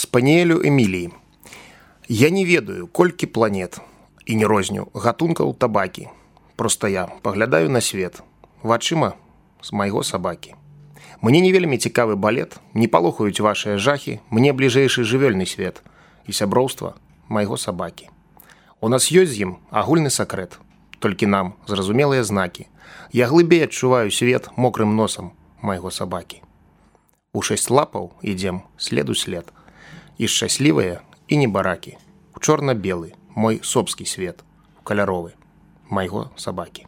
Спаніелю Эміліі. Я не ведаю, колькі планет і не розню гатункаў табакі. Проста я паглядаю на свет вачыма з майго сабакі. Мне не вельмі цікавы балет, не палохаюць вашыя жахі, мне бліжэйшы жывёльны свет і сяброўства майго сабакі. У нас ёсць з ім агульны сакрэт, толькі нам зразумелыя знакі. Я глыбей адчуваю свет мокрым носам майго сабакі. У 6 лапаў ідзем след у след. І шчаслівыя, і небаракі. У чорна-белы мой собскі свет, каляровы майго сабакі.